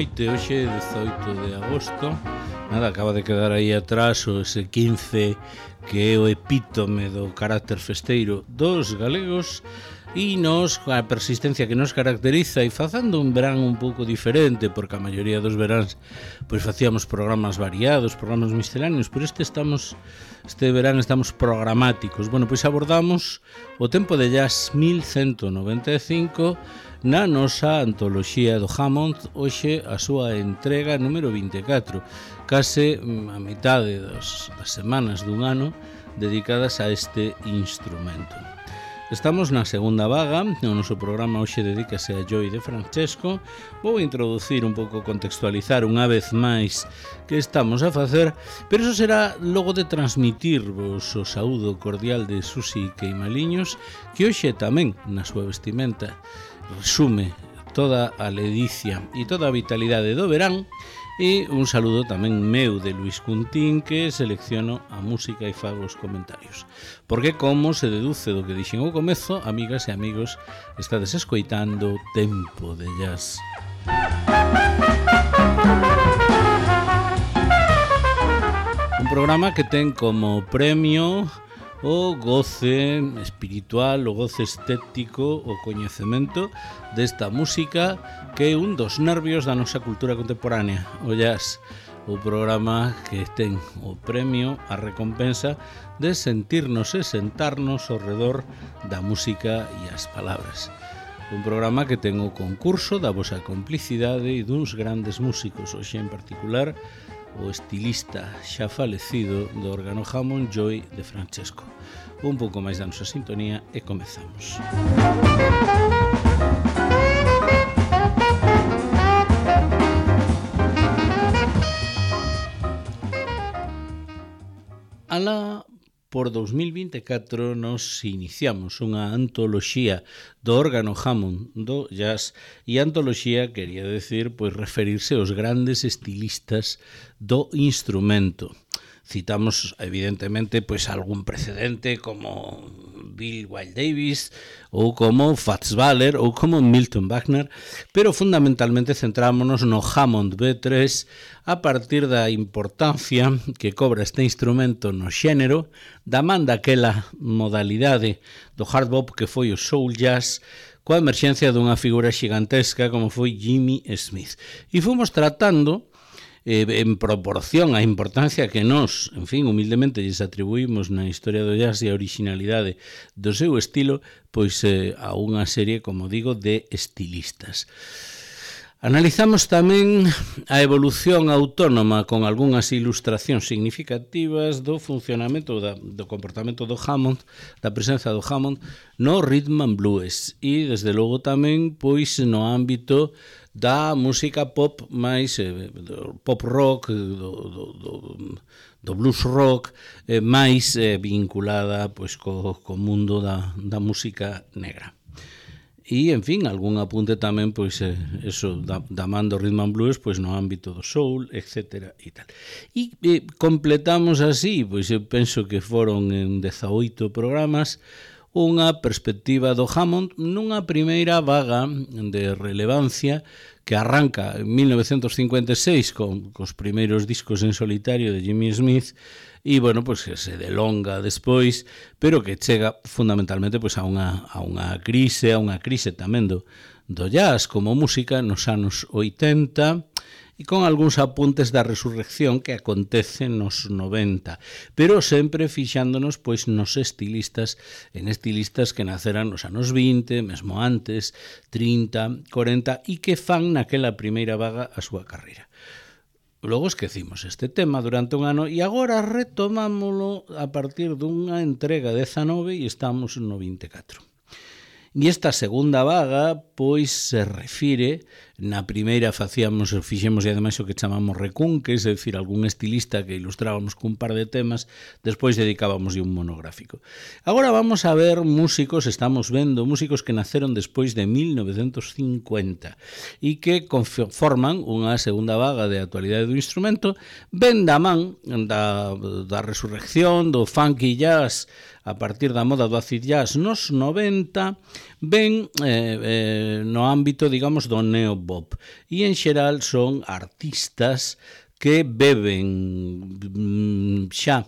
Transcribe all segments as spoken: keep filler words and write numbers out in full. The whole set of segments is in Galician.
noite, hoxe dezoito de agosto. Nada, acaba de quedar aí atrás o ese quince que é o epítome do carácter festeiro dos galegos e nos, a persistencia que nos caracteriza, e facendo un verán un pouco diferente, porque a maioría dos veráns pois facíamos programas variados, programas misceláneos, pero este estamos este verán estamos programáticos. Bueno, pois abordamos o tempo de jazz mil cento noventa e cinco na nosa antoloxía do Hammond, hoxe a súa entrega número vinte e catro, case a mitade das, das semanas dun ano dedicadas a este instrumento. Estamos na segunda vaga, o noso programa hoxe dedícase a Joy de Francesco. Vou introducir un pouco, contextualizar unha vez máis que estamos a facer, pero iso será logo de transmitirvos o saúdo cordial de Susi Queimaliños, que hoxe tamén na súa vestimenta resume toda a ledicia e toda a vitalidade do verán. E un saludo tamén meu de Luis Cuntín, que selecciono a música e fago os comentarios. Porque, como se deduce do que dixen ao comezo, amigas e amigos, estades escoitando Tempo de Jazz. Un programa que ten como premio o goce espiritual, o goce estético, o coñecemento desta música que é un dos nervios da nosa cultura contemporánea, o jazz, o programa que ten o premio, a recompensa de sentirnos e sentarnos ao redor da música e as palabras. Un programa que ten o concurso da vosa complicidade e duns grandes músicos, hoxe en particular o estilista xa falecido do órgano Hammond, Joy de Francesco. Un pouco máis da nosa sintonía e comezamos. Alá por dos mil vinte e catro nos iniciamos unha antoloxía do órgano Hammond do jazz, e antoloxía quería decir pois referirse aos grandes estilistas do instrumento. Citamos evidentemente pois algún precedente como Bill Wyle Davis ou como Fats Waller ou como Milton Wagner, pero fundamentalmente centrámonos no Hammond B tres a partir da importancia que cobra este instrumento no xénero, da man daquela modalidade do hard bop que foi o soul jazz, coa emerxencia dunha figura xigantesca como foi Jimmy Smith. E fomos tratando Eh, en proporción á importancia que nós, en fin, humildemente lles atribuímos na historia do jazz e a originalidade do seu estilo, pois eh, a unha serie, como digo, de estilistas. Analizamos tamén a evolución autónoma con algunhas ilustracións significativas do funcionamento da, do comportamento do Hammond, da presenza do Hammond no rhythm and blues, e desde logo tamén pois no ámbito da música pop máis eh, do pop rock, do, do, do, do blues rock, eh, máis eh, vinculada pois co, co mundo da, da música negra. E, en fin, algún apunte tamén, pois, eh, eso, da, da man do rhythm and blues, pois, no ámbito do soul, etcétera, e tal. E eh, completamos así, pois, eu penso que foron en dezaoito programas, unha perspectiva do Hammond nunha primeira vaga de relevancia que arranca en mil novecentos cincuenta e seis con cos primeiros discos en solitario de Jimmy Smith e, bueno, pois que se delonga despois, pero que chega fundamentalmente pois a unha a unha crise, a unha crise tamén do do jazz como música nos anos oitenta, e con algúns apuntes da resurrección que acontece nos noventa, pero sempre fixándonos pois nos estilistas, en estilistas que naceran nos anos vinte, mesmo antes, trinta, cuarenta, e que fan naquela primeira vaga a súa carreira. Logo esquecimos este tema durante un ano e agora retomámolo a partir dunha entrega dezanove e estamos no vinte e catro. E esta segunda vaga, pois, se refire, na primeira facíamos, fixemos e ademais o que chamamos recunques, é dicir, algún estilista que ilustrábamos cun par de temas, despois dedicábamos un monográfico. Agora vamos a ver músicos, estamos vendo músicos que naceron despois de mil novecentos cincuenta e que conforman unha segunda vaga de actualidade do instrumento, ben da man da, da resurrección, do funky jazz, a partir da moda do acid jazz nos noventa, ben eh, eh, no ámbito, digamos, do neobop. post-bop. E, en xeral, son artistas que beben xa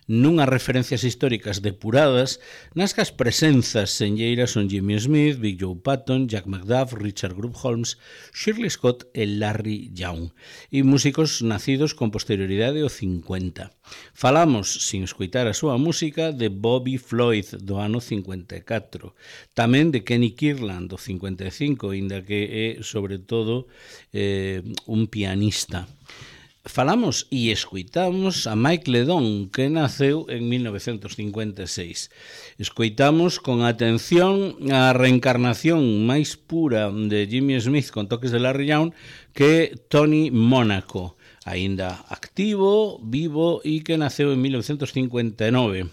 nunhas referencias históricas depuradas nas que as presenzas senlleiras son Jimmy Smith, Big Joe Patton, Jack McDuff, Richard Group Holmes, Shirley Scott e Larry Young, e músicos nacidos con posterioridade ao cincuenta. Falamos, sin escoitar a súa música, de Bobby Floyd, do ano cincuenta e catro, tamén de Kenny Kirtland, do cincuenta e cinco, inda que é, sobre todo, eh, un pianista. Falamos e escoitamos a Mike Ledon, que naceu en mil novecientos cincuenta e seis. Escoitamos con atención a reencarnación máis pura de Jimmy Smith con toques de Larry Young, que Tony Monaco, aínda activo, vivo e que naceu en mil novecientos cincuenta e nove.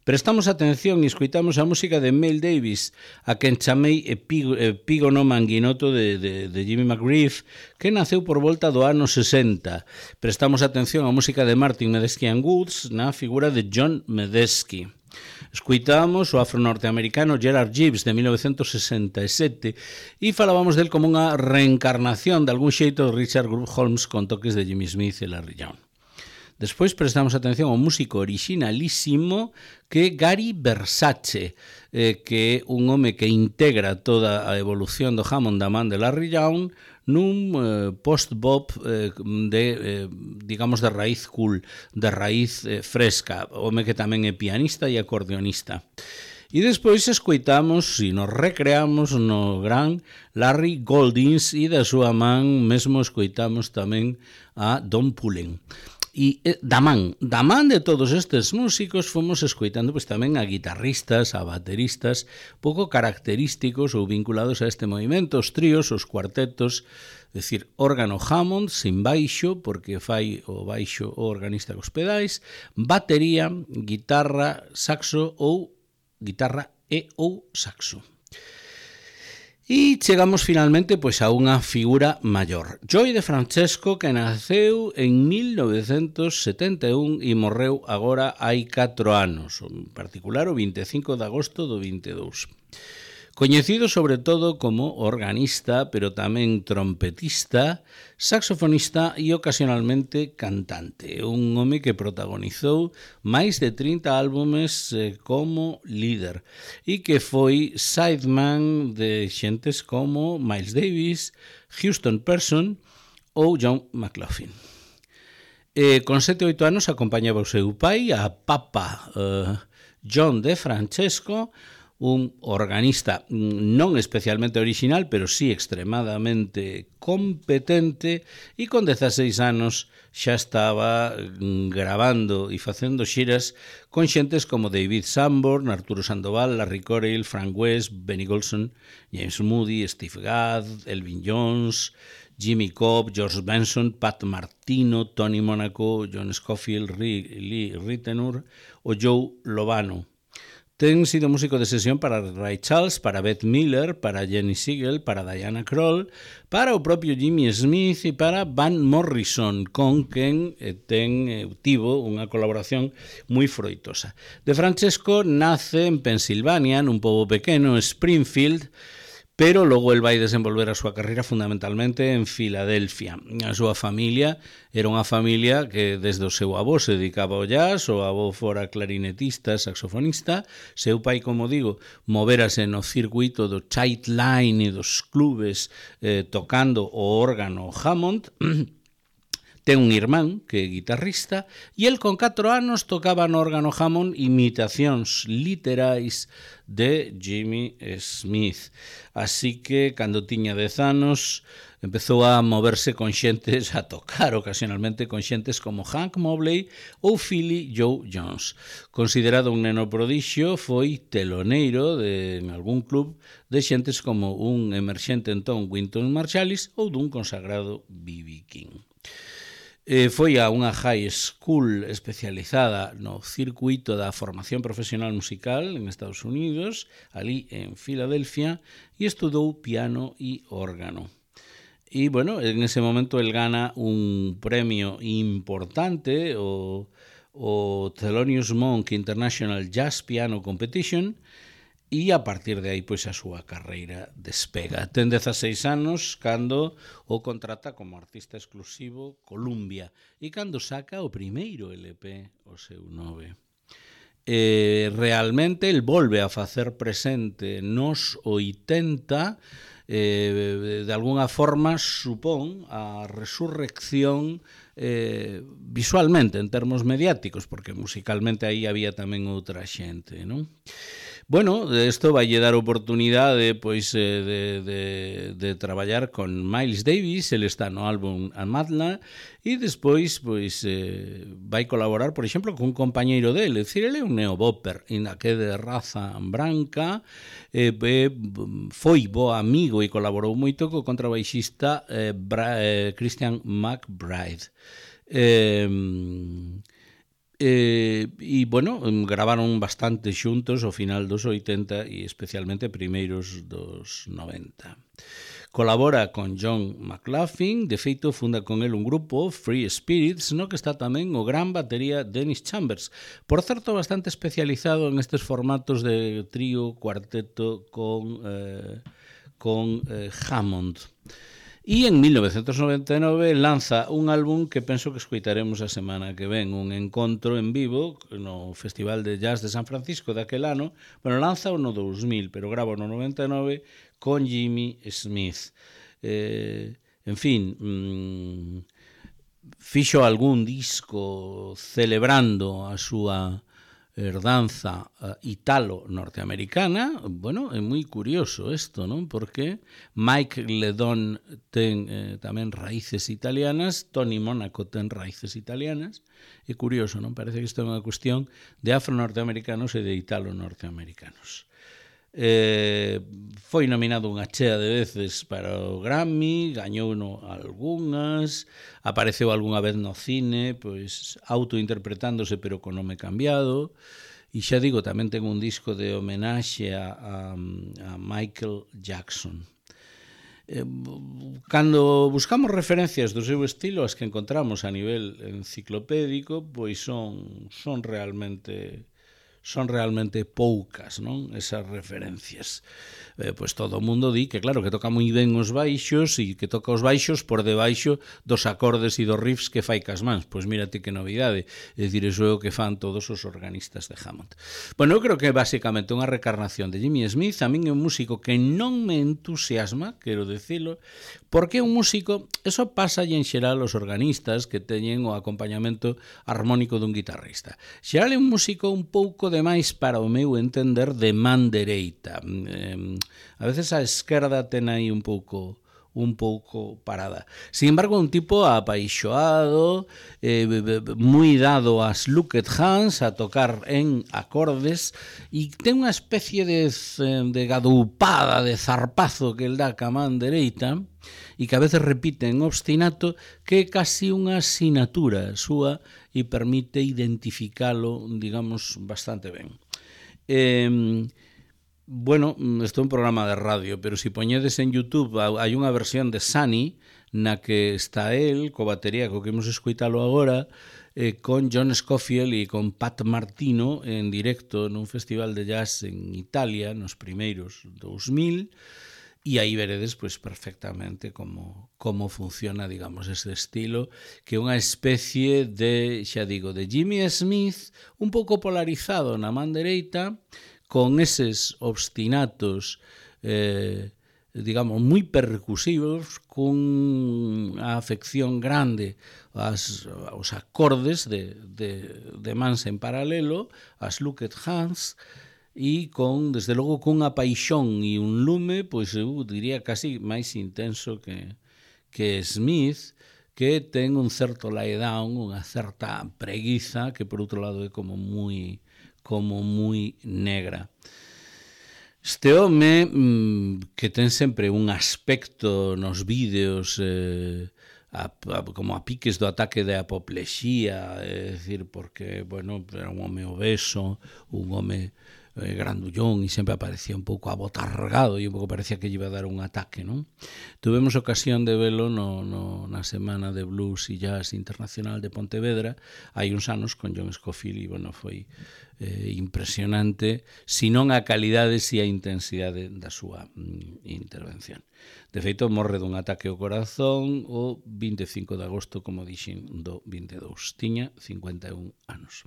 Prestamos atención e escoitamos a música de Mel Davis, a quen chamei epígono manguinoto de, de, de Jimmy McGriff, que naceu por volta do ano sesenta. Prestamos atención á música de Martin Medeski and Woods na figura de John Medeski. Escoitamos o afro-norteamericano Gerard Gibbs de mil novecientos sesenta e sete e falábamos del como unha reencarnación de algún xeito de Richard Group Holmes con toques de Jimmy Smith e Larry Young. Despois prestamos atención ao músico originalísimo que Gary Versace, eh, que é un home que integra toda a evolución do Hammond da man de Larry Young nun eh, post-bop eh, de, eh, digamos, de raíz cool, de raíz eh, fresca, home que tamén é pianista e acordeonista. E despois escoitamos e nos recreamos no gran Larry Goldings e da súa man mesmo escoitamos tamén a Don Pullen. E da man, da man de todos estes músicos fomos escoitando pois, tamén a guitarristas, a bateristas pouco característicos ou vinculados a este movimento, os tríos, os cuartetos, é dicir, órgano Hammond sin baixo, porque fai o baixo o organista cos pedais, batería, guitarra, saxo ou guitarra e ou saxo. E chegamos finalmente pois a unha figura maior. Joey De Francesco, que naceu en mil novecientos setenta e un e morreu agora hai catro anos, en particular o vinte e cinco de agosto do vinte e dous. Coñecido sobre todo como organista, pero tamén trompetista, saxofonista e ocasionalmente cantante. Un home que protagonizou máis de trinta álbumes eh, como líder e que foi sideman de xentes como Miles Davis, Houston Person ou John McLaughlin. Eh, con sete ou oito anos acompañaba o seu pai, a Papa eh, John De Francesco, un organista non especialmente original, pero sí extremadamente competente, e con dezaseis anos xa estaba gravando e facendo xiras con xentes como David Sanborn, Arturo Sandoval, Larry Coryell, Frank West, Benny Golson, James Moody, Steve Gadd, Elvin Jones, Jimmy Cobb, George Benson, Pat Martino, Tony Monaco, John Scofield, Lee Ritenour ou Joe Lovano. Ten sido músico de sesión para Ray Charles, para Beth Miller, para Jenny Siegel, para Diana Krall, para o propio Jimmy Smith e para Van Morrison, con quen eh, ten eh, tivo unha colaboración moi froitosa. De Francesco nace en Pensilvania, nun pobo pequeno, Springfield, pero logo el vai desenvolver a súa carreira fundamentalmente en Filadelfia. A súa familia era unha familia que desde o seu avó se dedicaba ao jazz, o avó fora clarinetista, saxofonista, seu pai, como digo, moverase no circuito do child line e dos clubes eh, tocando o órgano Hammond. Ten un irmán que é guitarrista e el con catro anos tocaba no órgano Hammond imitacións literais de Jimmy Smith. Así que, cando tiña dez anos, empezou a moverse con xentes, a tocar ocasionalmente con xentes como Hank Mobley ou Philly Joe Jones. Considerado un neno prodixio, foi teloneiro de, en algún club de xentes como un emerxente entón Wynton Marsalis ou dun consagrado B B King. Eh, foi a unha high school especializada no circuito da formación profesional musical en Estados Unidos, ali en Filadelfia, e estudou piano e órgano. E, bueno, en ese momento el gana un premio importante, o, o Thelonious Monk International Jazz Piano Competition, e a partir de aí pois a súa carreira despega. Ten dezaseis anos cando o contrata como artista exclusivo Columbia e cando saca o primeiro L P, o seu nove. Eh, realmente el volve a facer presente nos oitenta, eh, de alguna forma supón a resurrección eh, visualmente en termos mediáticos, porque musicalmente aí había tamén outra xente, non? Bueno, isto vai lle dar oportunidade pois de, de, de traballar con Miles Davis, ele está no álbum Amadla, e despois pois eh, vai colaborar, por exemplo, con un compañeiro dele, é dicir, ele é un neobopper, inda que de raza branca, eh, eh, foi bo amigo e colaborou moito co contrabaixista eh, Bra, eh, Christian McBride. Eh, Eh, e, bueno, gravaron bastante xuntos ao final dos oitenta e especialmente primeiros dos noventa. Colabora con John McLaughlin, de feito funda con el un grupo, Free Spirits, no que está tamén o gran batería Dennis Chambers, por certo bastante especializado en estes formatos de trío, cuarteto con, eh, con eh, Hammond. E en mil novecentos noventa e nove lanza un álbum que penso que escoitaremos a semana que ven, un encontro en vivo no Festival de Jazz de San Francisco daquel ano. Bueno, lanza o no dous mil, pero grava no noventa e nove con Jimmy Smith. Eh, en fin, mmm, fixo algún disco celebrando a súa herdanza uh, italo-norteamericana. Bueno, é moi curioso isto, non? Porque Mike Ledon ten eh, tamén raíces italianas, Tony Monaco ten raíces italianas. É curioso, non? Parece que isto é unha cuestión de afro-norteamericanos e de italo-norteamericanos. Eh, foi nominado unha chea de veces para o Grammy, gañou no algunhas, apareceu algunha vez no cine, pois autointerpretándose pero con nome cambiado, e xa digo, tamén ten un disco de homenaxe a, a, a Michael Jackson. Eh, cando buscamos referencias do seu estilo, as que encontramos a nivel enciclopédico, pois son, son realmente... son realmente poucas, non? Esas referencias. Eh, pois todo o mundo di que, claro, que toca moi ben os baixos e que toca os baixos por debaixo dos acordes e dos riffs que fai cas mans. Pois mírate que novidade. É dicir, iso é o que fan todos os organistas de Hammond. Bueno, eu creo que é basicamente unha recarnación de Jimmy Smith. A min é un músico que non me entusiasma, quero decilo, porque é un músico, eso pasa en xeral os organistas que teñen o acompañamento armónico dun guitarrista. Xeral é un músico un pouco demais para o meu entender de man dereita. Eh, a veces a esquerda ten aí un pouco un pouco parada. Sin embargo, un tipo apaixoado, eh, moi dado ás looked hands, a tocar en acordes, e ten unha especie de, de gadoupada, de zarpazo que el dá ca man dereita, e que a veces repite en obstinato, que é casi unha asignatura súa e permite identificalo, digamos, bastante ben. Eh, bueno, isto é un programa de radio, pero se si poñedes en YouTube, hai unha versión de Sunny, na que está el, co batería, co que imos escoitalo agora, eh, con John Scofield e con Pat Martino en directo nun festival de jazz en Italia, nos primeiros dous mil, e aí veredes pois perfectamente como, como funciona, digamos, ese estilo, que é unha especie de, xa digo, de Jimmy Smith, un pouco polarizado na man dereita, con eses obstinatos, eh, digamos, moi percusivos, con a afección grande as, aos acordes de, de, de mans en paralelo, as looked hands, e con, desde logo, cunha paixón e un lume, pois eu diría casi máis intenso que, que Smith, que ten un certo lay down, unha certa preguiza, que por outro lado é como moi, como moi negra. Este home, que ten sempre un aspecto nos vídeos eh, a, a, como a piques do ataque de apoplexía, é dicir, porque, bueno, era un home obeso, un home eh, grandullón e sempre aparecía un pouco abotargado e un pouco parecía que lle iba a dar un ataque, non? Tuvemos ocasión de velo no, no, na Semana de Blues e Jazz Internacional de Pontevedra hai uns anos con John Scofield e, bueno, foi eh, impresionante, si non a calidade, si a intensidade da súa mm, intervención. De feito, morre dun ataque ao corazón o vinte e cinco de agosto, como dixen, do vinte e dous. Tiña cincuenta e un anos.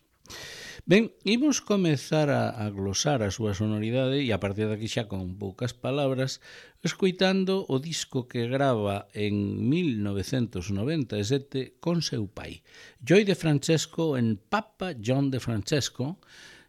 Ben, imos comezar a, a glosar a súa sonoridade e a partir daqui xa con poucas palabras escoitando o disco que grava en mil novecentos noventa e sete con seu pai, Joey DeFrancesco en Papa John DeFrancesco,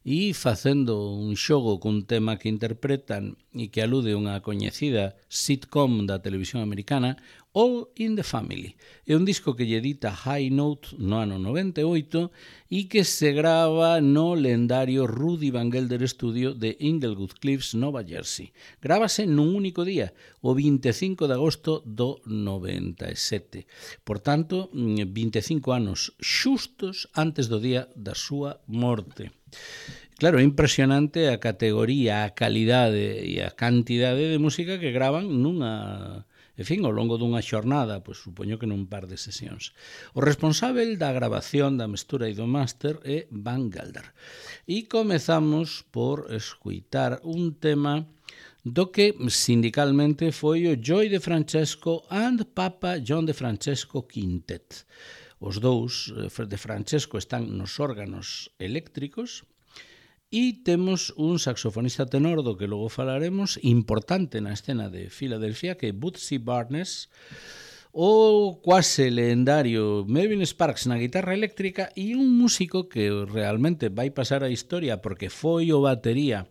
e facendo un xogo cun tema que interpretan e que alude a unha coñecida sitcom da televisión americana, All in the Family. É un disco que lle edita High Note no ano noventa e oito e que se grava no lendario Rudy Van Gelder Studio de Inglewood Cliffs, Nova Jersey. Grábase nun único día, o vinte e cinco de agosto do noventa e sete. Por tanto, vinte e cinco anos xustos antes do día da súa morte. Claro, é impresionante a categoría, a calidade e a cantidade de música que gravan nunha, en fin, ao longo dunha xornada, pois supoño que nun par de sesións. O responsável da grabación, da mestura e do máster é Van Gelder. E comezamos por escuitar un tema do que sindicalmente foi o Joey DeFrancesco and Papa John DeFrancesco Quintet. Os dous de Francesco están nos órganos eléctricos e temos un saxofonista tenor do que logo falaremos, importante na escena de Filadelfia, que é Bootsy Barnes, o quase legendario Melvin Sparks na guitarra eléctrica e un músico que realmente vai pasar a historia porque foi o batería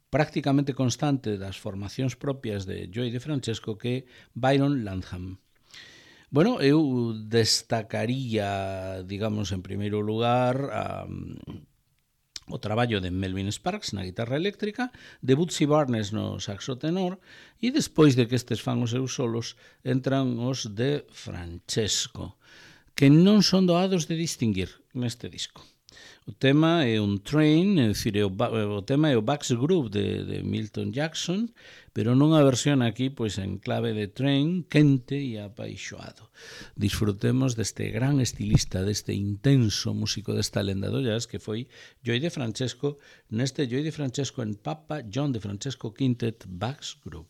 prácticamente constante das formacións propias de Joey DeFrancesco, que é Byron Landham. Bueno, eu destacaría, digamos, en primeiro lugar, a, o traballo de Melvin Sparks na guitarra eléctrica, de Bootsy Barnes no saxo tenor, e despois de que estes fan os seus solos, entran os de Francesco, que non son doados de distinguir neste disco. O tema é un Train, é dicir, o, o tema é o Bucks Groove de, de Milton Jackson, pero non a versión aquí pois en clave de Train, quente e apaixoado. Disfrutemos deste gran estilista, deste intenso músico desta lenda do jazz que foi Joey DeFrancesco, neste Joey DeFrancesco en Papa John DeFrancesco Quintet Bucks Groove.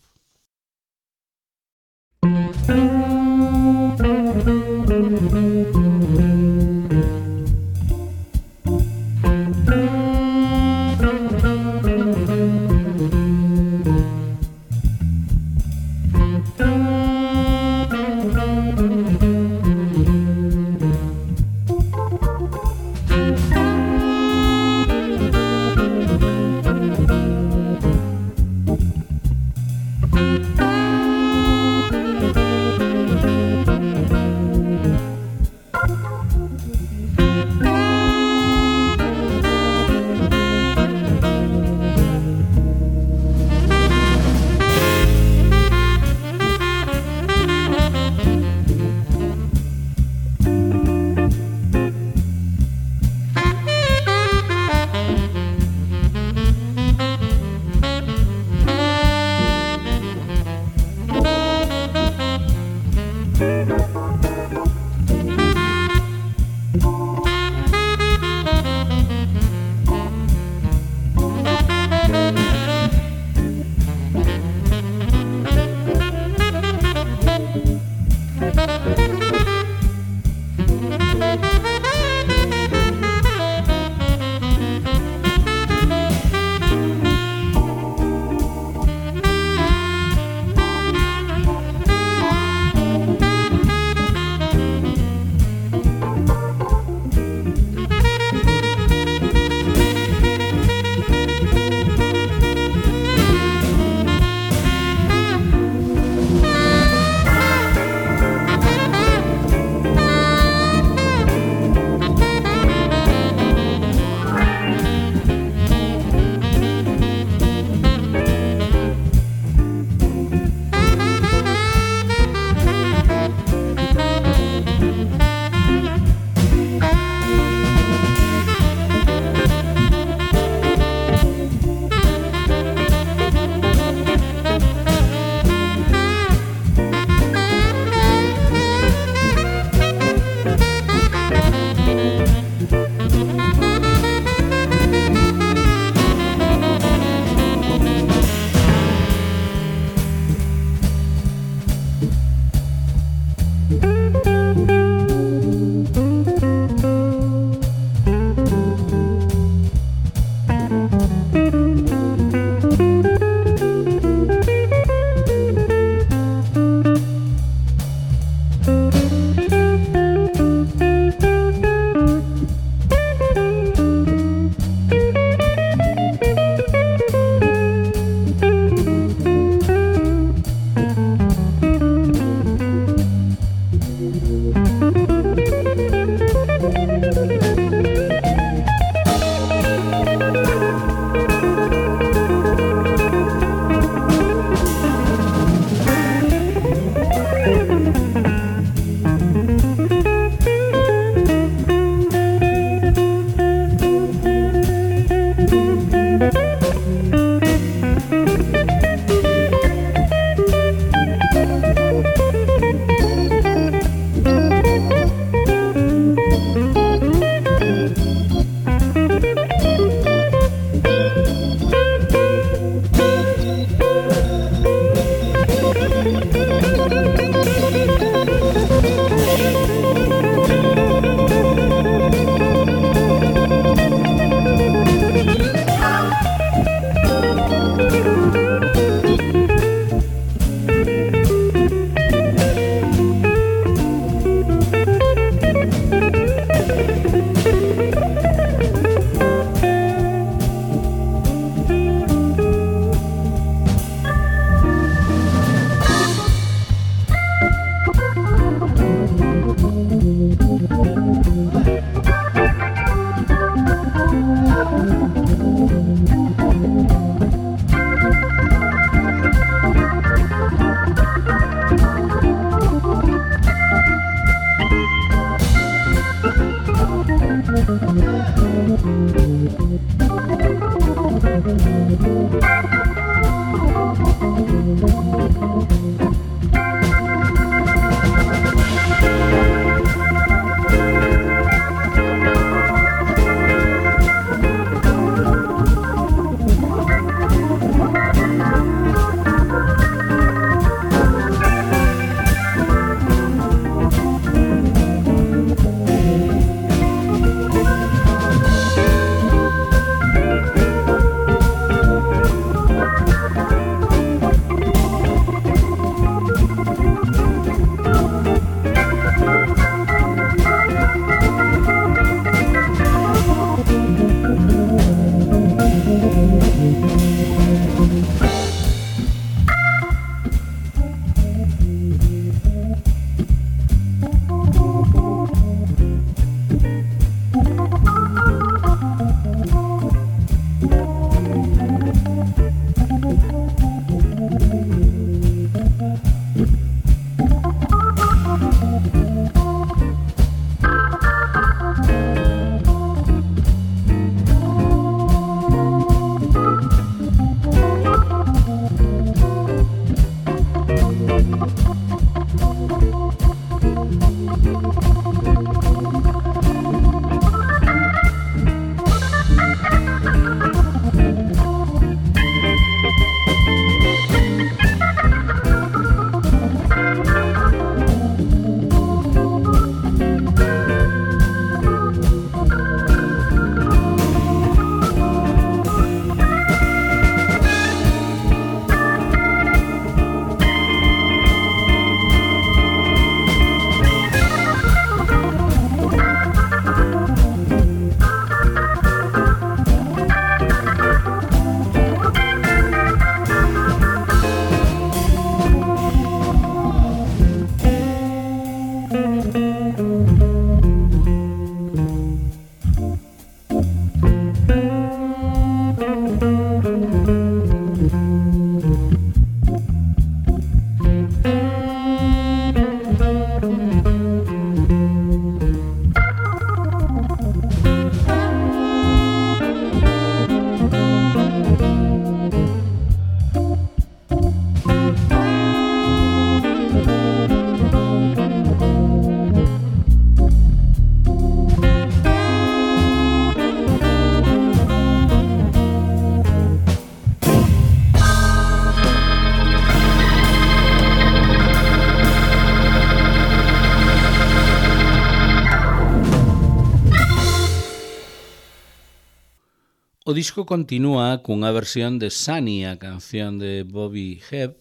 O disco continúa cunha versión de Sunny, a canción de Bobby Hebb,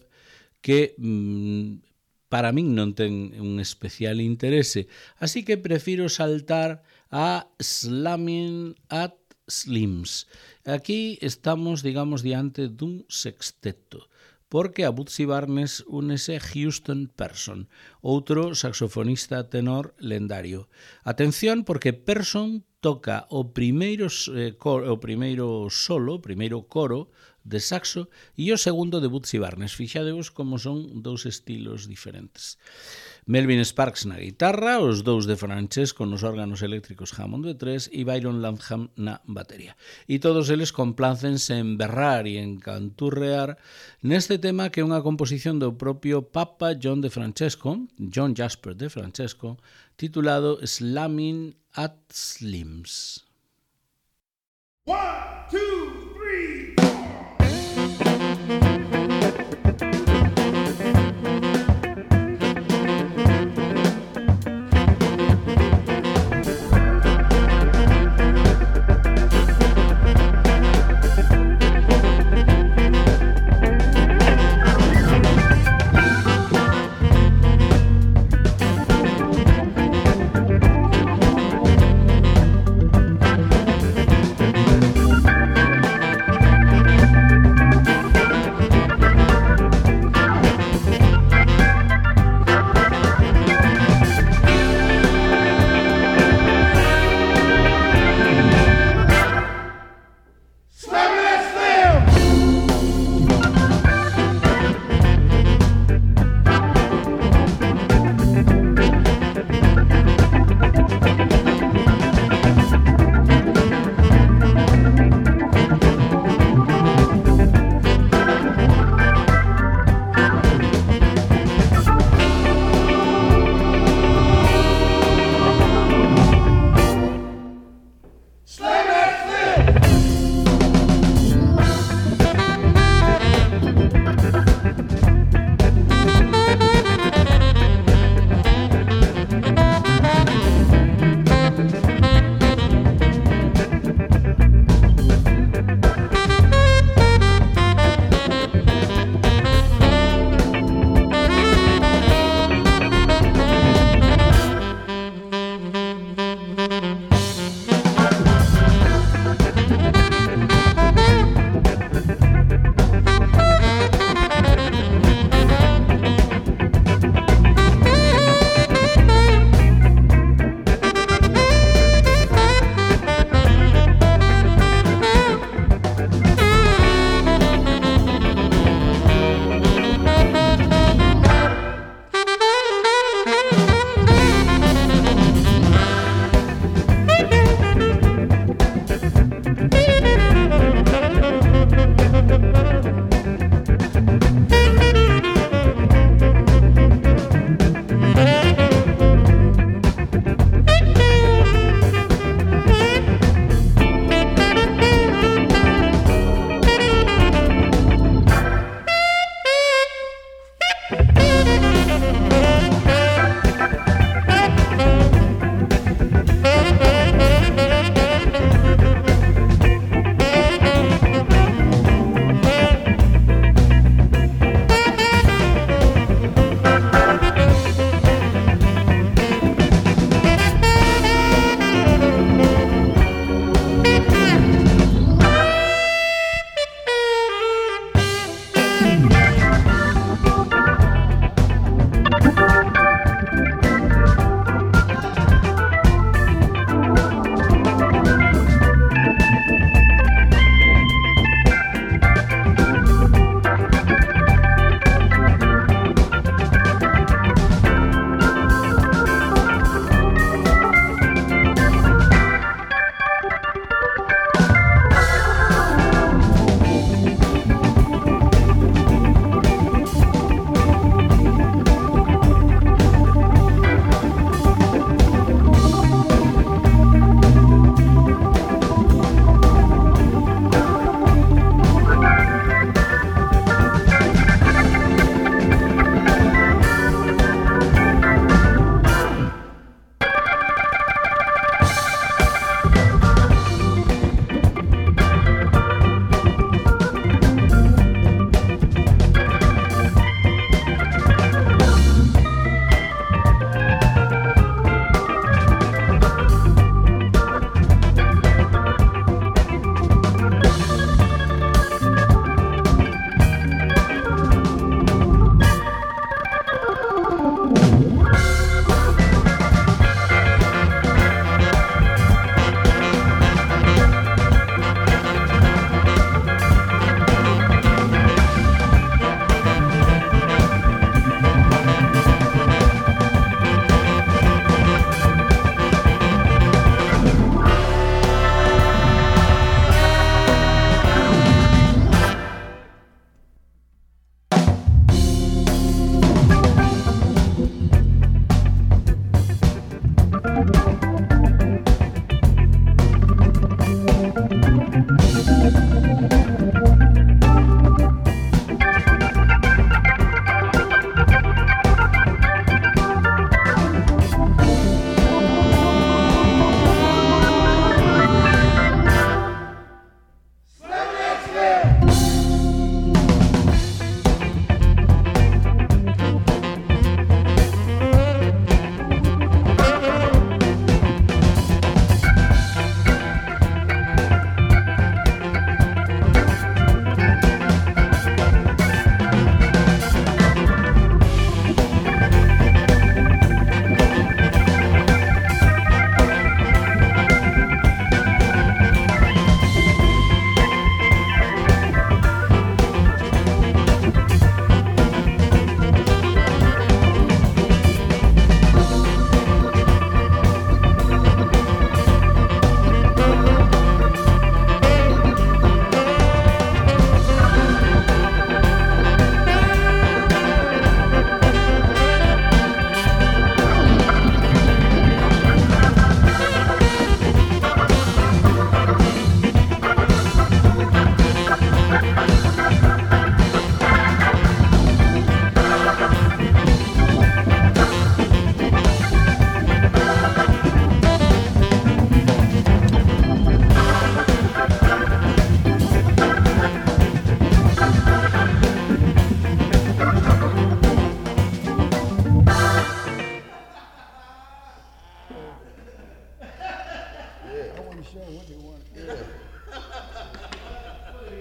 que mm, para min non ten un especial interese, así que prefiro saltar a Slammin' at Slims. Aquí estamos, digamos, diante dun sexteto, porque a Bootsy Barnes únese Houston Person, outro saxofonista tenor lendario. Atención, porque Person toca o primeiro, eh, coro, o primeiro solo, o primeiro coro de saxo e o segundo de Bootsy Barnes. Fixadevos como son dous estilos diferentes. Melvin Sparks na guitarra, os dous de Francesco nos órganos eléctricos Hammond B tres e Byron Lanham na batería. E todos eles complácense en berrar e en canturrear neste tema que é unha composición do propio Papa John de Francesco, John Jasper de Francesco, titulado Slammin' at Slims. One, two, three, four.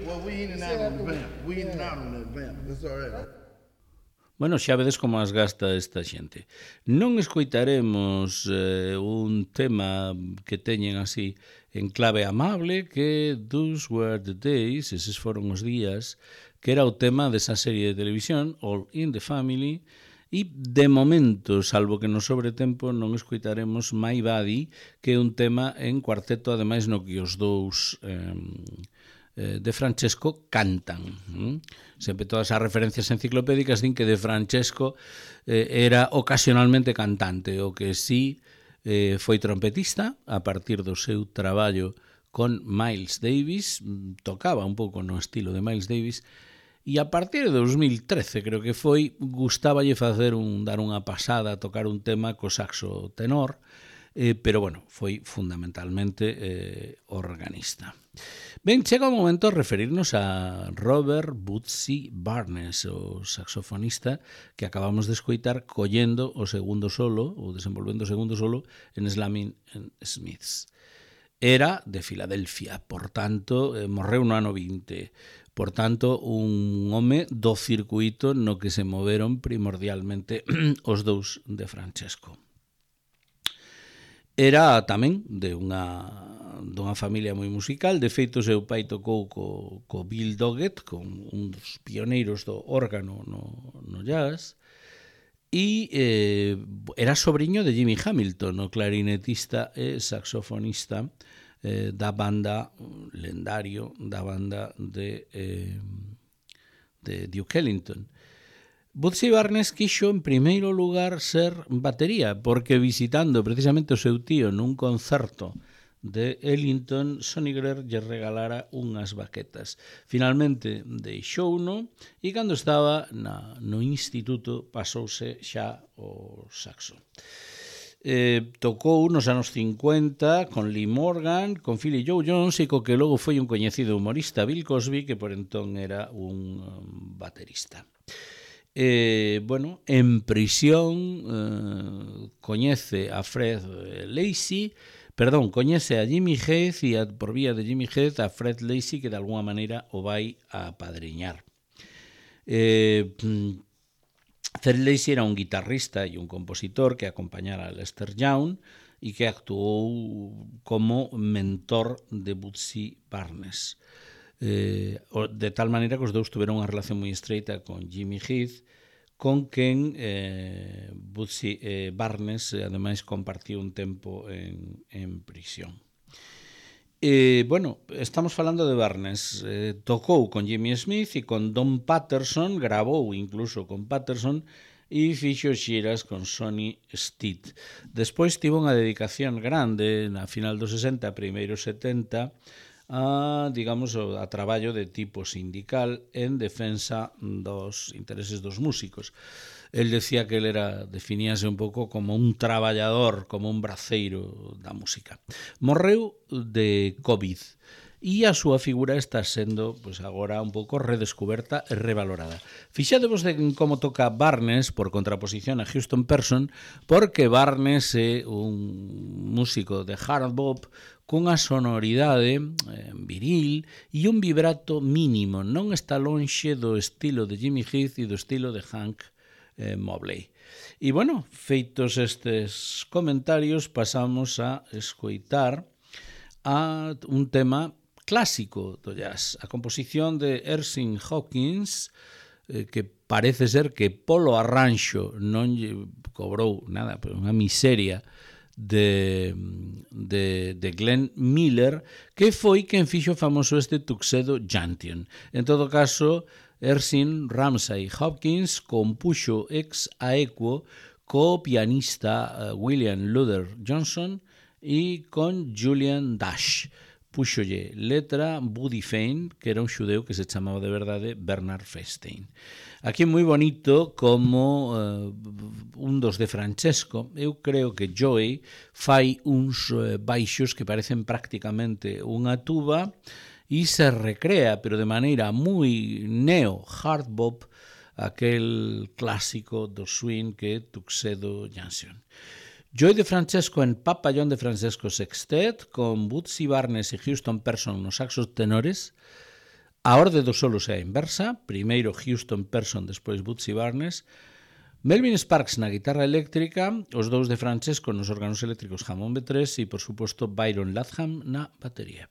well, we in and out on the vamp. We in and out on that vamp. That's all right. Bueno, xa vedes como as gasta esta xente. Non escoitaremos eh, un tema que teñen así en clave amable, que Those Were the Days, eses foron os días, que era o tema desa serie de televisión, All in the Family, e de momento, salvo que no sobre tempo, non escoitaremos My Body, que é un tema en cuarteto, ademais no que os dous eh, de Francesco cantan. Sempre todas as referencias enciclopédicas din que de Francesco eh, era ocasionalmente cantante, o que sí eh, foi trompetista a partir do seu traballo con Miles Davis, tocaba un pouco no estilo de Miles Davis, e a partir de dos mil trece, creo que foi, gustáballe facer un, dar unha pasada, tocar un tema co saxo tenor, eh, pero bueno, foi fundamentalmente eh, organista. Ben, chega o momento de referirnos a Robert Bootsy Barnes, o saxofonista que acabamos de escoitar collendo o segundo solo, ou desenvolvendo o segundo solo en Slamming Smiths. Era de Filadelfia, por tanto, eh, morreu no ano vinte. Por tanto, un home do circuito no que se moveron primordialmente os dous de Francesco. Era tamén de unha dunha familia moi musical, de feito seu pai tocou co, co Bill Doggett, con un dos pioneiros do órgano no, no jazz, e eh, era sobrinho de Jimmy Hamilton, o clarinetista e saxofonista eh, da banda lendario, da banda de, eh, de Duke Ellington. Bootsy Barnes quixo en primeiro lugar ser batería, porque visitando precisamente o seu tío nun concerto de Ellington, Sonny Greer lle regalara unhas baquetas. Finalmente deixouno e cando estaba na, no instituto pasouse xa o saxo. Eh, tocou nos anos cincuenta con Lee Morgan, con Philly Joe Jones e co que logo foi un coñecido humorista, Bill Cosby, que por entón era un um, baterista. Eh, bueno, en prisión eh, coñece a Fred Lacey, perdón, coñece a Jimmy Heath e a, por vía de Jimmy Heath a Fred Lacey, que de alguna maneira o vai a apadriñar. Eh, Fred Lacey era un guitarrista e un compositor que acompañara a Lester Young e que actuou como mentor de Bootsy Barnes. Eh, de tal maneira que os dous tuveron unha relación moi estreita con Jimmy Heath, con quen eh, Bootsy eh, Barnes eh, ademais compartiu un tempo en, en prisión. Eh, bueno, estamos falando de Barnes, eh, tocou con Jimmy Smith e con Don Patterson, grabou incluso con Patterson e fixo xiras con Sonny Stitt. Despois tivo unha dedicación grande na final dos sesenta, primeiro setenta, a, digamos, a traballo de tipo sindical en defensa dos intereses dos músicos. El decía que ele era, definíase un pouco como un traballador, como un braceiro da música. Morreu de COVID e a súa figura está sendo, pois, agora un pouco redescoberta e revalorada. Fixadevos de como toca Barnes por contraposición a Houston Person, porque Barnes é un músico de hard bop cunha sonoridade eh, viril e un vibrato mínimo, non está lonxe do estilo de Jimmy Heath e do estilo de Hank eh, Mobley. E, bueno, feitos estes comentarios, pasamos a escoitar a un tema clásico do jazz, a composición de Erskine Hawkins, eh, que parece ser que polo arranxo non lle cobrou nada, pero unha miseria de, de, de Glenn Miller, que foi quen fixo famoso este Tuxedo Junction. En todo caso, Erskine Ramsay Hawkins compuxo ex aequo co pianista William Luther Johnson e con Julian Dash. Púxolle letra Buddy Fane, que era un xudeu que se chamaba de verdade Bernard Feinstein. Aquí é moi bonito como uh, un dos de Francesco, eu creo que Joey fai uns uh, baixos que parecen prácticamente unha tuba e se recrea, pero de maneira moi neo-hard bop, aquel clásico do swing que é Tuxedo Junction. Joey de Francesco en Papallón de Francesco Sextet, con Bootsy Barnes e Houston Person nos saxos tenores, A orde dos solos é a inversa, primeiro Houston Person, despois Bootsy Barnes, Melvin Sparks na guitarra eléctrica, os dous de Francesco nos órganos eléctricos Hammond B tres e, por suposto, Byron Latham na batería.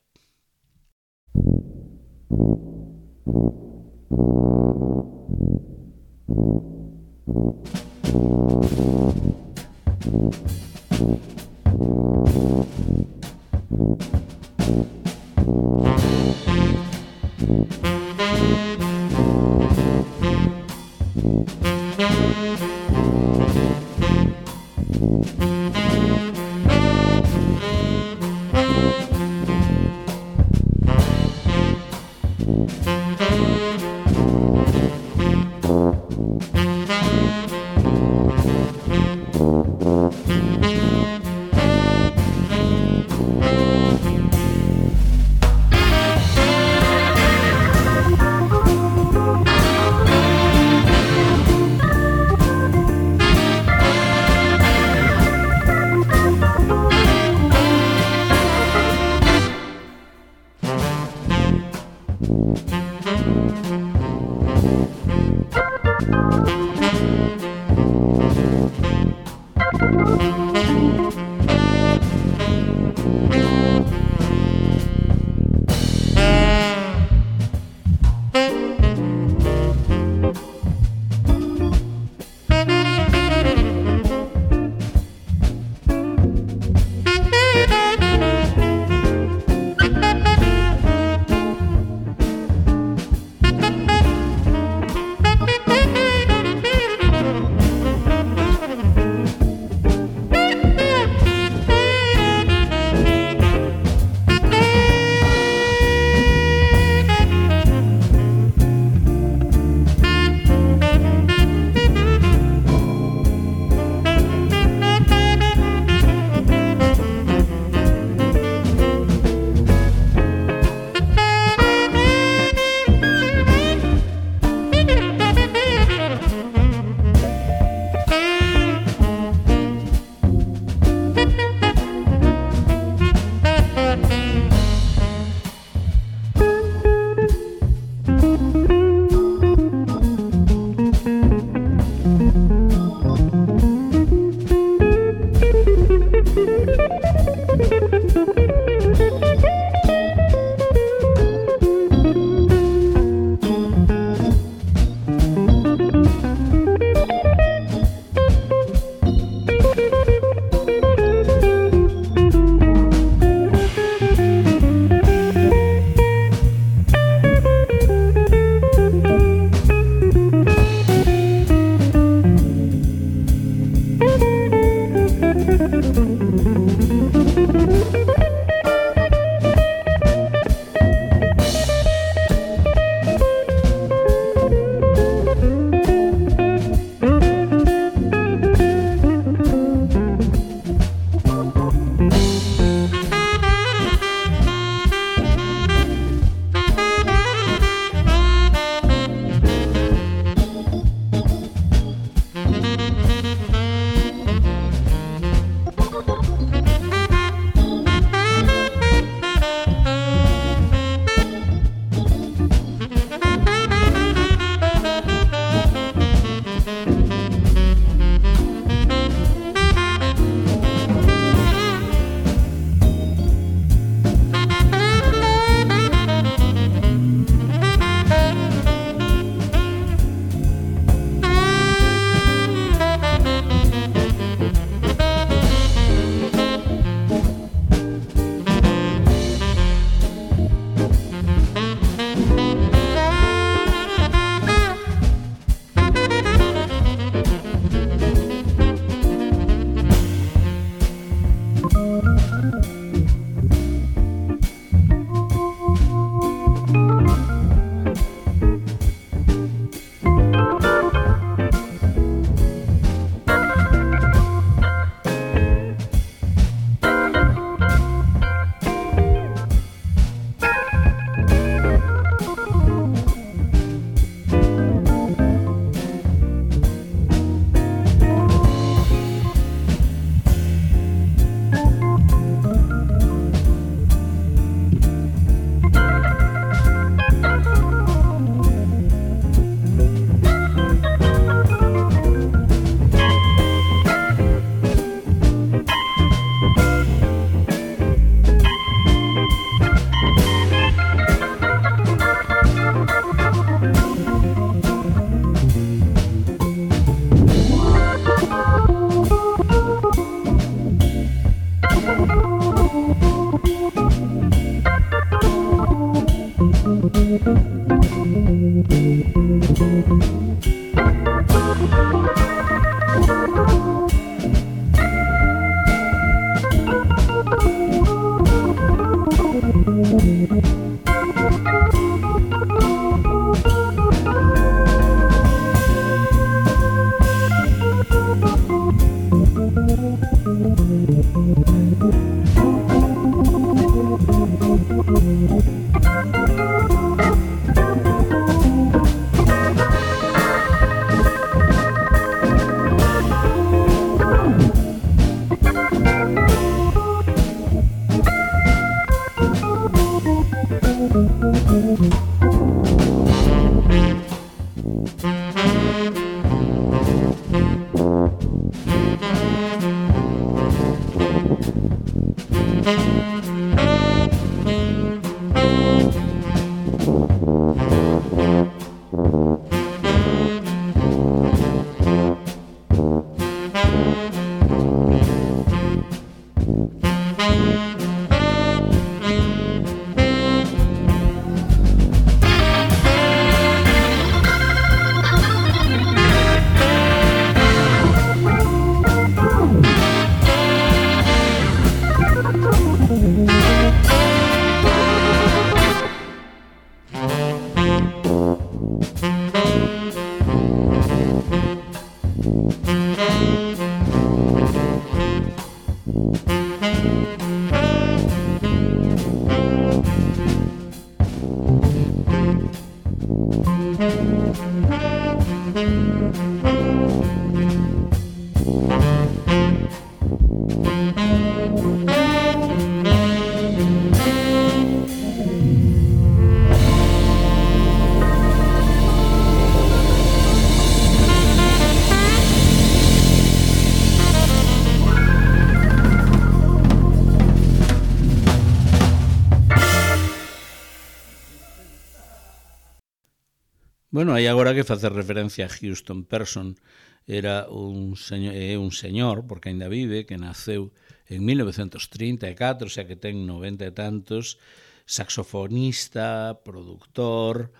Bueno, hai agora que facer referencia a Houston Person. Era un señor, é un señor, porque ainda vive, que naceu en mil novecentos trinta e catro, xa que ten noventa e tantos, saxofonista, productor,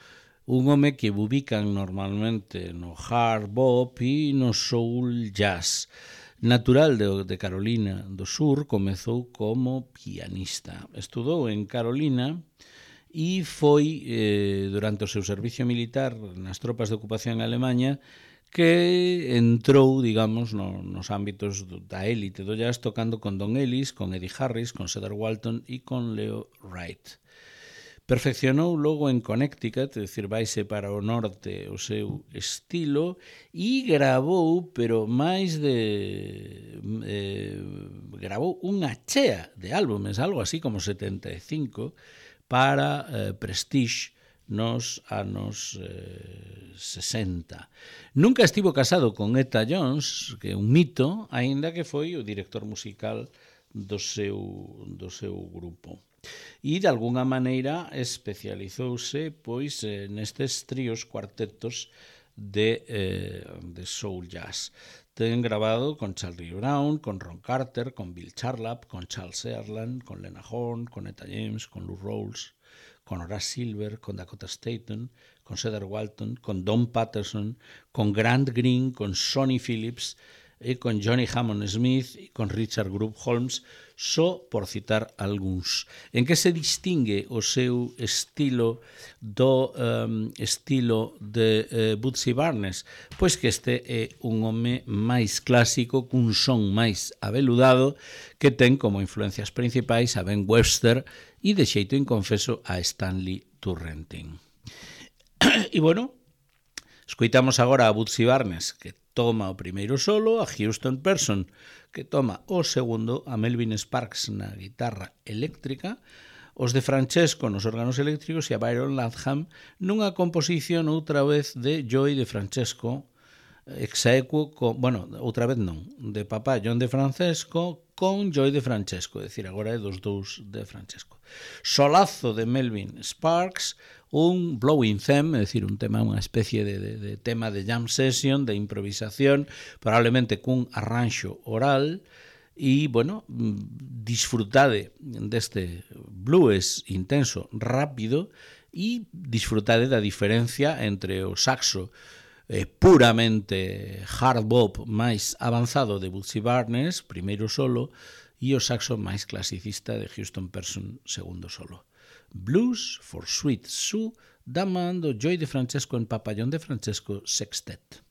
un home que ubican normalmente no hard bop e no soul jazz. Natural de, de Carolina do Sur, comezou como pianista. Estudou en Carolina e foi, eh, durante o seu servicio militar nas tropas de ocupación en Alemanha, que entrou, digamos, no, nos ámbitos do, da élite do jazz, tocando con Don Ellis, con Eddie Harris, con Cedar Walton e con Leo Wright. Perfeccionou logo en Connecticut, é dicir, vaise para o norte o seu estilo, e gravou, pero máis de... Eh, gravou unha chea de álbumes, algo así como setenta e cinco, para eh, Prestige nos anos eh, sesenta. Nunca estivo casado con Etta Jones, que é un mito, aínda que foi o director musical do seu, do seu grupo. E, de alguna maneira, especializouse pois, eh, nestes tríos cuartetos de, eh, de soul jazz. Ten grabado con Charlie Brown, con Ron Carter, con Bill Charlap, con Charles Earland, con Lena Horne, con Etta James, con Lou Rawls, con Horace Silver, con Dakota Staton, con Cedar Walton, con Don Patterson, con Grant Green, con Sonny Phillips, e con Johnny Hammond Smith e con Richard Group Holmes, só por citar algúns. En que se distingue o seu estilo do um, estilo de uh, Bootsy Barnes? Pois que este é un home máis clásico, cun son máis aveludado, que ten como influencias principais a Ben Webster e, de xeito inconfeso, a Stanley Turrentine. E, bueno, escoitamos agora a Bootsy Barnes, que toma o primeiro solo, a Houston Person, que toma o segundo, a Melvin Sparks na guitarra eléctrica, os de Francesco nos órganos eléctricos e a Byron Latham nunha composición outra vez de Joey de Francesco, execuo, con, bueno, outra vez non, de papá John de Francesco con Joey de Francesco, é dicir, agora é dos dous de Francesco. Solazo de Melvin Sparks, un blowing theme, é dicir, un tema, unha especie de, de, de tema de jam session, de improvisación, probablemente cun arranxo oral, e, bueno, disfrutade deste blues intenso, rápido, e disfrutade da diferencia entre o saxo eh, puramente hard bop máis avanzado de Bugsy Barnes, primeiro solo, e o saxo máis clasicista de Houston Person, segundo solo. Blues for Sweet Sue, da man do Joy De Francesco en Papallón De Francesco Sextet.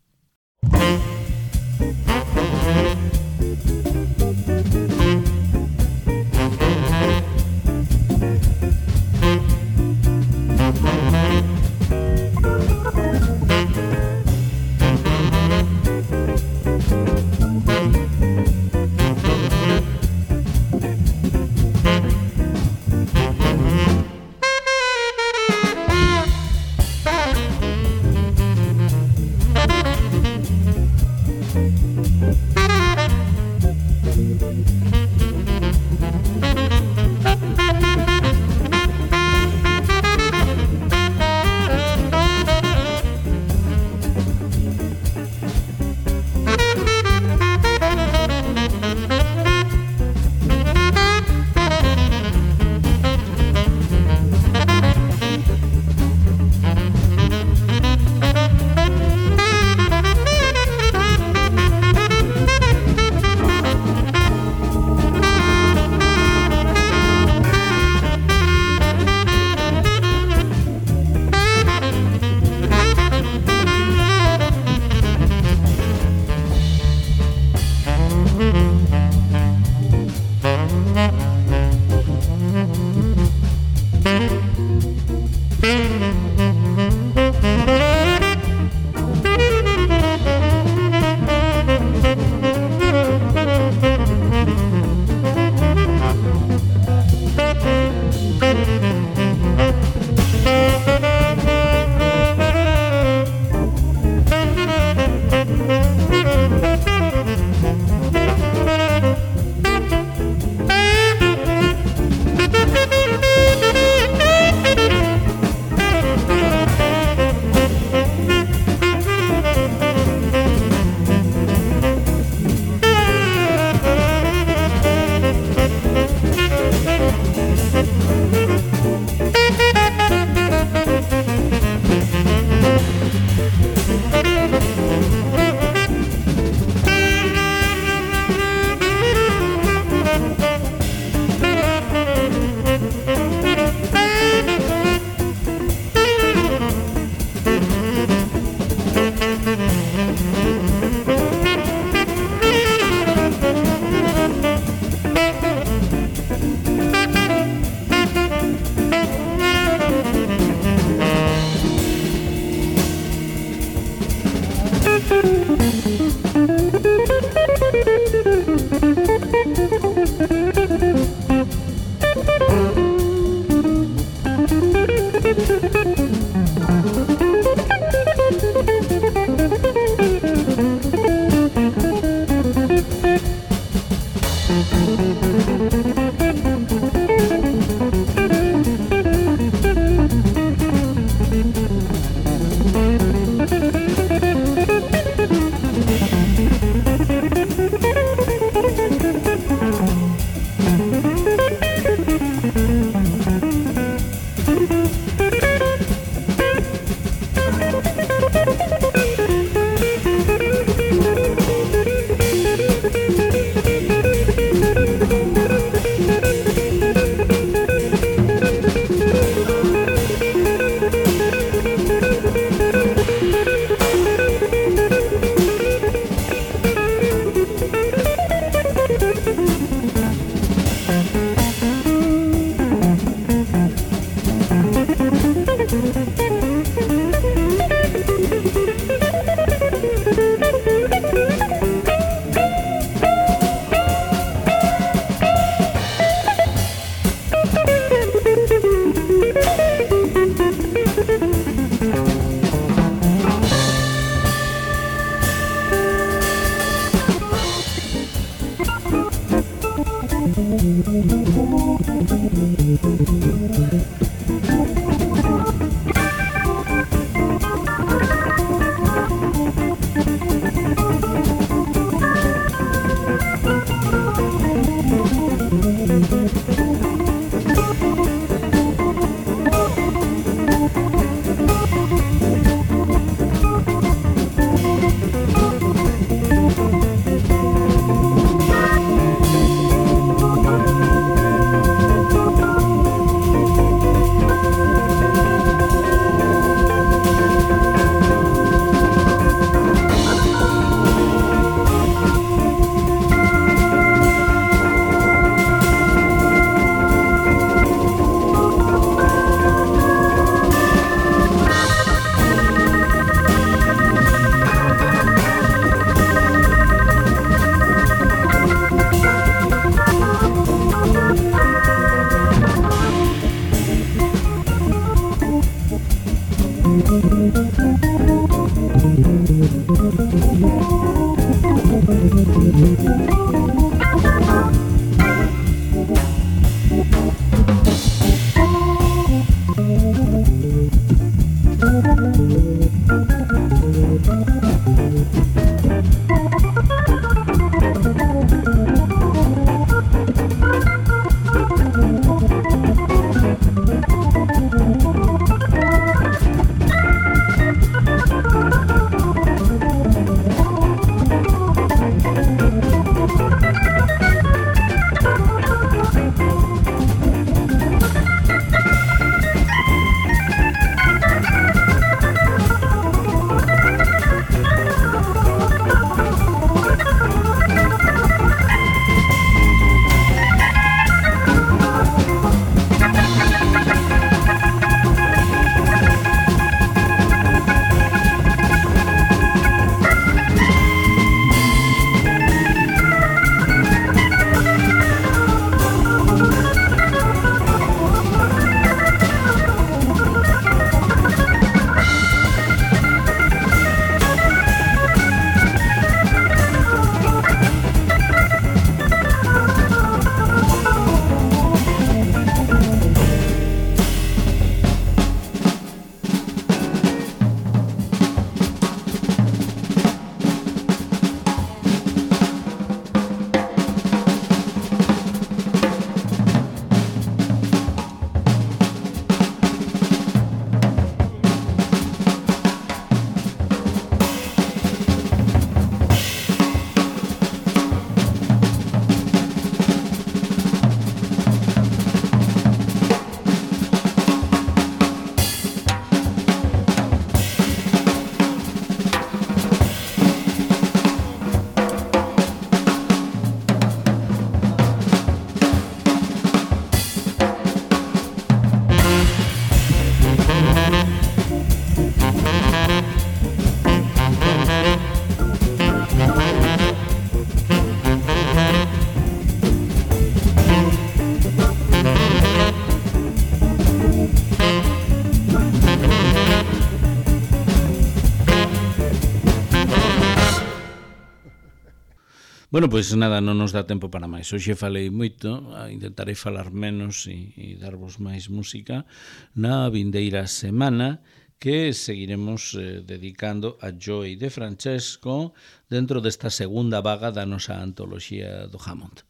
Bueno, pois nada, non nos dá tempo para máis. Hoxe falei moito, intentarei falar menos e, e darvos máis música na vindeira semana, que seguiremos eh, dedicando a Joey de Francesco dentro desta segunda vaga da nosa antoloxía do Hammond.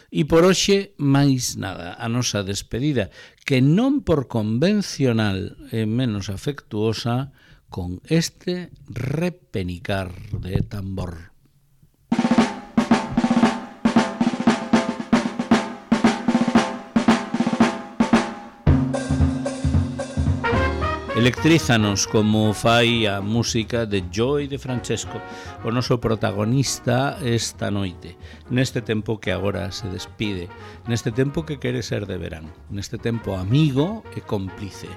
E por hoxe, máis nada, a nosa despedida, que non por convencional e menos afectuosa, con este repenicar de tambor. Electrízanos como fai a música de Joey de Francesco, o noso protagonista esta noite, neste tempo que agora se despide, neste tempo que quere ser de verán, neste tempo amigo e cómplice.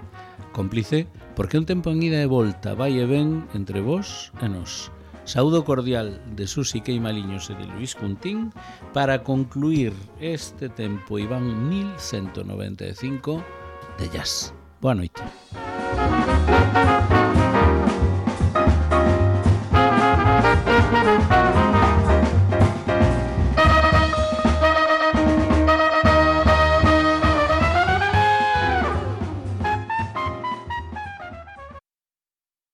Cómplice porque un tempo en ida e volta vai e ven entre vós e nós. Saúdo cordial de Susi Queimaliños e de Luis Cuntín para concluir este tempo Iván mil ciento noventa e cinco de jazz. Boa noite. Thank you.